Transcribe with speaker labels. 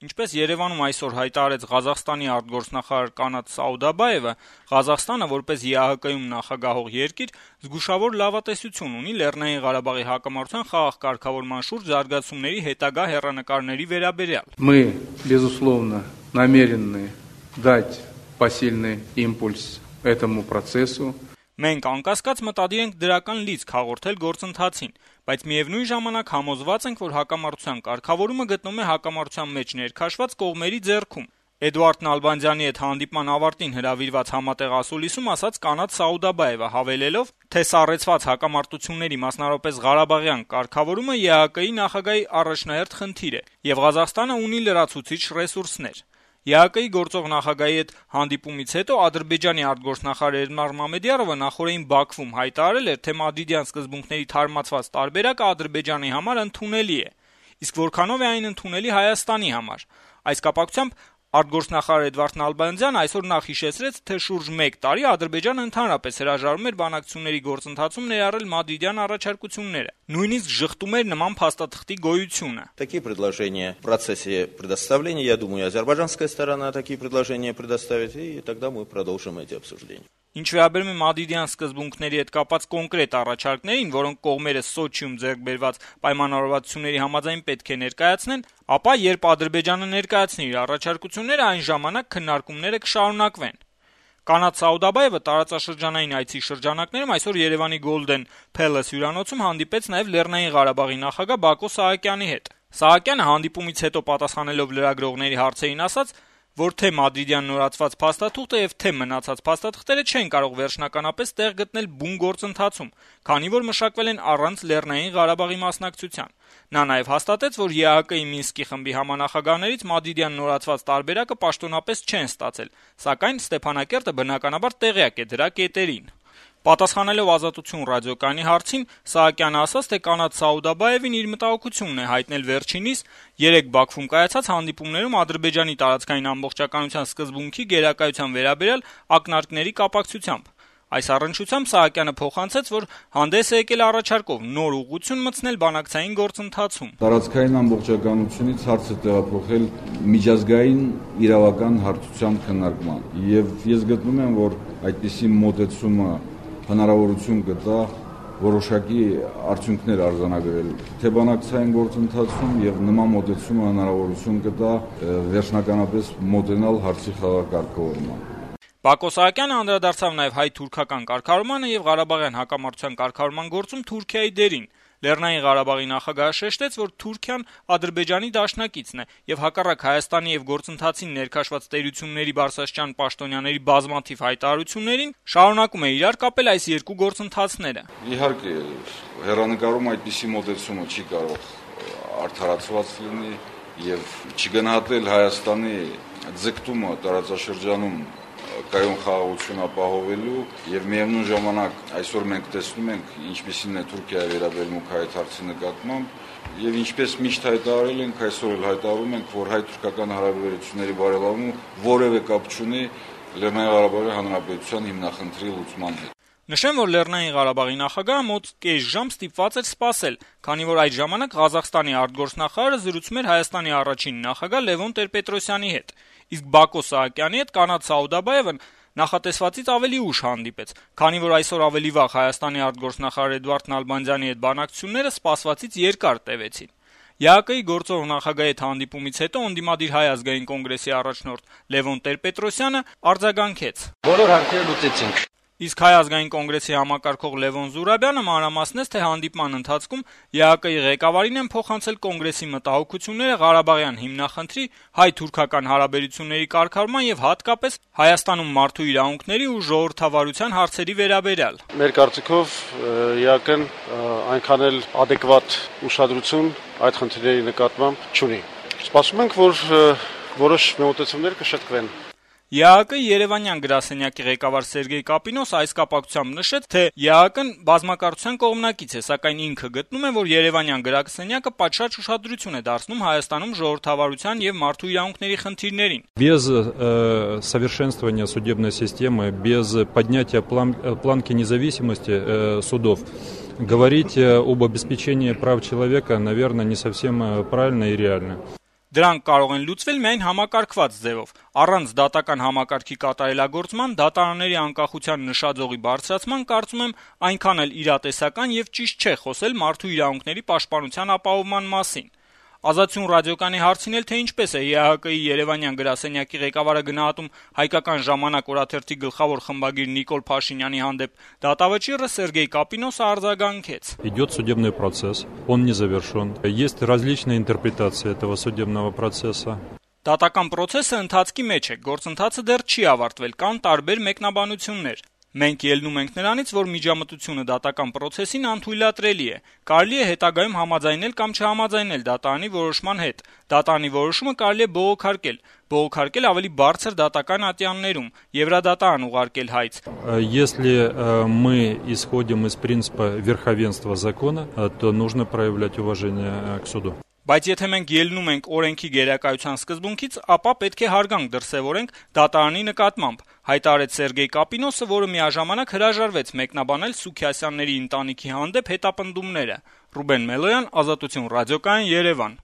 Speaker 1: Ինչպես Երևանում այսօր հայտարարեց Ղազախստանի արտգործնախարար Կանաթ Սաուդաբաևը, Ղազախստանը որպես ԵԱՀԿ-ում նախագահող երկիր զգուշավոր լավատեսություն ունի Լեռնային Ղարաբաղի հակամարտության խաղաղ կարգավորման շուրջ զարգացումների հետագա հեռանկարների վերաբերյալ.
Speaker 2: Мы, безусловно, намерены дать посильный импульс этому процессу.
Speaker 1: Մենք անկասկած մտադիր ենք դրական լիցք հաղորդել գործընթացին, բայց միևնույն ժամանակ համոզված ենք, որ հակամարտության կարգավորումը գտնվում է հակամարտության մեջ ներքաշված կողմերի ձեռքում։ Էդուարդ Նալբանդյանի հետ հանդիպման ավարտին հրավիրված համատեղ ասուլիսում ասաց Կանաթ Սաուդաբաևը, հավելելով, թե սառեցված հակամարտությունների, մասնավորապես Ղարաբաղյան կարգավորումը ԵԱՀԿ-ի նախագահի առաջնահերթ խնդիր է, եւ Ղազախստանը ունի լրացուցիչ ռեսուրսներ։ ԵԱՀԿ-ի գործող նախագահի հետ հանդիպումից հետո Ադրբեջանի արտգործնախարար Էլմար Մամեդյարովը նախորդին Բաքվում հայտարարել էր, թե մադրիդյան սկզբունքների թարմացված տարբերակը Ադրբեջանի համար ընդունելի է, իսկ որքանով է այն ընդունելի Հայաստանի համար։ Այս կապակցությամբ արտգործնախարար Էդվարդ Նալբանդյանը այսօր նախ հիշեցրեց, թե շուրջ 1 տարի Ադրբեջանը ընդհանրապես հրաժարվում էր բանակցությունների գործընթացում ներառել մադրիդյան առաջարկությունները, նույնիսկ ժխտում էր նման փաստաթղթի գոյությունը։
Speaker 3: Такие предложения в процессе предоставления, я думаю, азербайджанская сторона такие предложения предоставит, и тогда мы продолжим эти обсуждения.
Speaker 1: Ինչ վերաբերում է մադրիդյան սկզբունքների հետ կապված կոնկրետ առաջարկներին, որոնք կողմերը Սոչիում ձեռք բերված պայմանավորվածությունների համաձայն պետք է ներկայացնեն, ապա երբ Ադրբեջանը ներկայացնի իր առաջարկությունները, այն ժամանակ քննարկումները կշարունակվեն։ Կանաթ Սաուդաբաևը տարածաշրջանային այցի շրջանակներում այսօր Երևանի Golden Palace հյուրանոցում հանդիպեց նաև Լեռնային Ղարաբաղի նախագահ Բակո Սահակյանի հետ։ Սահակյանը հանդիպումից հետո պատասխանելով լրագրողների հարցերին ասաց, որ թե մադրիդյան նորացված փաստաթուղթը եւ թե մնացած փաստաթղթերը չեն կարող վերջնականապես տեղ գտնել բուն գործընթացում, քանի որ մշակվել են առանց Լեռնային Ղարաբաղի մասնակցության։ Նա նաեւ հաստատեց, որ ԵԱՀԿ-ի Մինսկի խմբի համանախագահներից մադրիդյան նորացված տարբերակը պաշտոնապես չեն ստացել, սակայն Ստեփանակերտը բնականաբար տեղյակ է դրա կետերին։ Պատասխանելով Ազատություն ռադիոկայանի հարցին, Սահակյանը ասաց, թե Կանաթ Սաուդաբաևին իր մտահոգությունն է հայտնել վերջինիս 3 Բաքվում կայացած հանդիպումներում Ադրբեջանի տարածքային ամբողջականության սկզբունքի գերակայության վերաբերյալ ակնարկների կապակցությամբ։ Այս առնչությամբ Սահակյանը փոխանցեց, որ հանդես է եկել առաջարկով նոր ուղղություն մտցնել բանակցային գործընթացում։
Speaker 4: Տարածքային ամբողջականությունից հարցը տեղափոխել միջազգային իրավական հարթության քննարկման, եւ ես գտնում եմ, որ այդպիսի մոտեցումը հնարավորություն կտա որոշակի արդյունքներ արձանագրել թե բանակցային գործընթացում եւ նման մոտեցումը հնարավորություն կտա վերջնականապես մոտենալ հարցի խաղակարգավորման։
Speaker 1: Բակո Սահակյանը անդրադարձավ նաև հայ-թուրքական կարգավորմանը եւ Ղարաբաղյան հակամարտության կարգավորման գործում Թուրքիայի դերին։ Լեռնային Ղարաբաղի նախագահը շեշտեց, որ Թուրքիան Ադրբեջանի դաշնակիցն է եւ հակառակ Հայաստանի եւ գործընթացին ներքաշված տերությունների բարձրաստիճան պաշտոնյաների բազմաթիվ հայտարարություններին շարունակում է իրար կապել այս երկու գործընթացները։
Speaker 4: Իհարկե, հեռանկարում այդպիսի մոտեցումը չի կարող արդարացված լինի եւ չգնահատել Հայաստանի ձգտումը տարածաշրջանում կայուն խաղաղություն ապահովելու եւ միևնույն ժամանակ այսօր մենք տեսնում ենք ինչպիսին է Թուրքիայի վերաբերմունքը այդ հարցի նկատմամբ եւ ինչպես միշտ հայտարարել ենք այսօր էլ հայտարարում ենք որ հայ-թուրքական հարաբերությունների բարելավումը որևէ կապ չունի Լեռնային Ղարաբաղի Հանրապետության հիմնախնդրի լուծման հետ։
Speaker 1: Նշեմ, որ Լեռնային Ղարաբաղի նախագահը մոտ կես ժամ ստիպված էր սպասել, քանի որ այդ ժամանակ Ղազախստանի արտգործնախարարը զրուցում էր Հայաստանի առաջին նախագահ Լևոն Տեր-Պետրոսյանի հետ, իսկ Բակո Սահակյանի հետ Կանաթ Սաուդաբաևը նախատեսվածից ավելի ուշ հանդիպեց, քանի որ այսօր ավելի վաղ Հայաստանի արտգործնախարար Էդուարդ Նալբանդյանի հետ բանակցությունները սպասվածից երկար տևեցին։ ԵԱՀԿ-ի գործող նախագահի հետ հանդիպումից հետո ընդդիմադիր Հայ ազգային կոնգրեսի առաջնորդ Լևոն Տեր-Պետրոսյանը արձագանքեց.
Speaker 5: Բոլոր հարցերը լուծեցինք։
Speaker 1: Իսկ Հայ ազգային կոնգրեսի համակարգող Լևոն Զուրաբյանը մանրամասնեց, թե հանդիպման ընթացքում ԵԱՀԿ-ի ղեկավարին են փոխանցել կոնգրեսի մտահոգությունները Ղարաբաղյան հիմնախնդրի, հայ-թուրքական հարաբերությունների կարգավորման եւ հատկապես Հայաստանում մարդու իրավունքների ու ժողովրդավարության հարցերի վերաբերյալ։
Speaker 5: Մեր կարծիքով ԵԱՀԿ-ն այնքան էլ adekvat ուշադրություն այդ խնդիրների նկատմամբ չունի։ Սպասում ենք, որ որոշ մոտեցումներ կշտկվեն։
Speaker 1: ԵԱՀԿ-ի Երևանյան գրասենյակի ղեկավար Սերգեյ Կապինոս այս կապակցությամբ նշեց, թե ԵԱՀԿ-ն բազմակարծության կողմնակից է, սակայն ինքը գտնում է, որ Երևանյան գրասենյակը պատշաճ ուշադրություն է դարձնում Հայաստանում ժողովրդավարության եւ մարդու իրավունքների խնդիրներին։
Speaker 6: Без совершенствования судебной системы, без поднятия планки независимости судов говорить об обеспечении прав человека, наверное, не совсем правильно и реально.
Speaker 1: Դրանք կարող են լուծվել միայն համակարգված ձևով, առանց դատական համակարգի կատարելագործման, դատարանների անկախության նշաձողի բարձրացման, կարծում եմ, այնքան էլ իրատեսական եւ ճիշտ չէ խոսել մարդու իրավունքների պաշտպանության ապահովման մասին։ Ազատություն ռադիոկայանի հարցին էլ, թե ինչպես է ԵԱՀԿ-ի Երևանյան գրասենյակի ղեկավարը գնահատում «Հայկական ժամանակ» օրաթերթի գլխավոր խմբագիր Նիկոլ Փաշինյանի հանդեպ դատավճիռը, Սերգեյ Կապինոսը արձագանքեց.
Speaker 6: Идет судебный процесс, он не завершен. Есть различные интерпретации этого судебного процесса.
Speaker 1: Դատական պրոցեսը ընթացքի մեջ է, գործընթացը դեռ չի ավարտվել, կան տարբեր մեկնաբանություններ։ Մենք ելնում ենք նրանից, որ միջամտությունը դատական պրոցեսին անթույլատրելի է։ Կարելի է հետագայում համաձայնել կամ չհամաձայնել դատարանի որոշման հետ։ Դատարանի որոշումը կարելի է բողոքարկել ավելի բարձր դատական ատյաններում, Եվրադատարան ուղարկել հայց։
Speaker 6: Если мы исходим из принципа верховенства закона, то нужно проявлять уважение к суду.
Speaker 1: Բայց եթե մենք ելնում ենք օրենքի գերակայության սկզբունքից, ապա պետք է հարգանք դրսևորենք դատարանի նկատմամբ, հայտարարեց Սերգեյ Կապինոսը, որը միաժամանակ հրաժարվեց մեկնաբանել Սուքիասյանների ընտանիքի հանդեպ հետապնդումները։ Ռուբեն Մելոյան, Ազատություն ռադիոկայան, Երևան։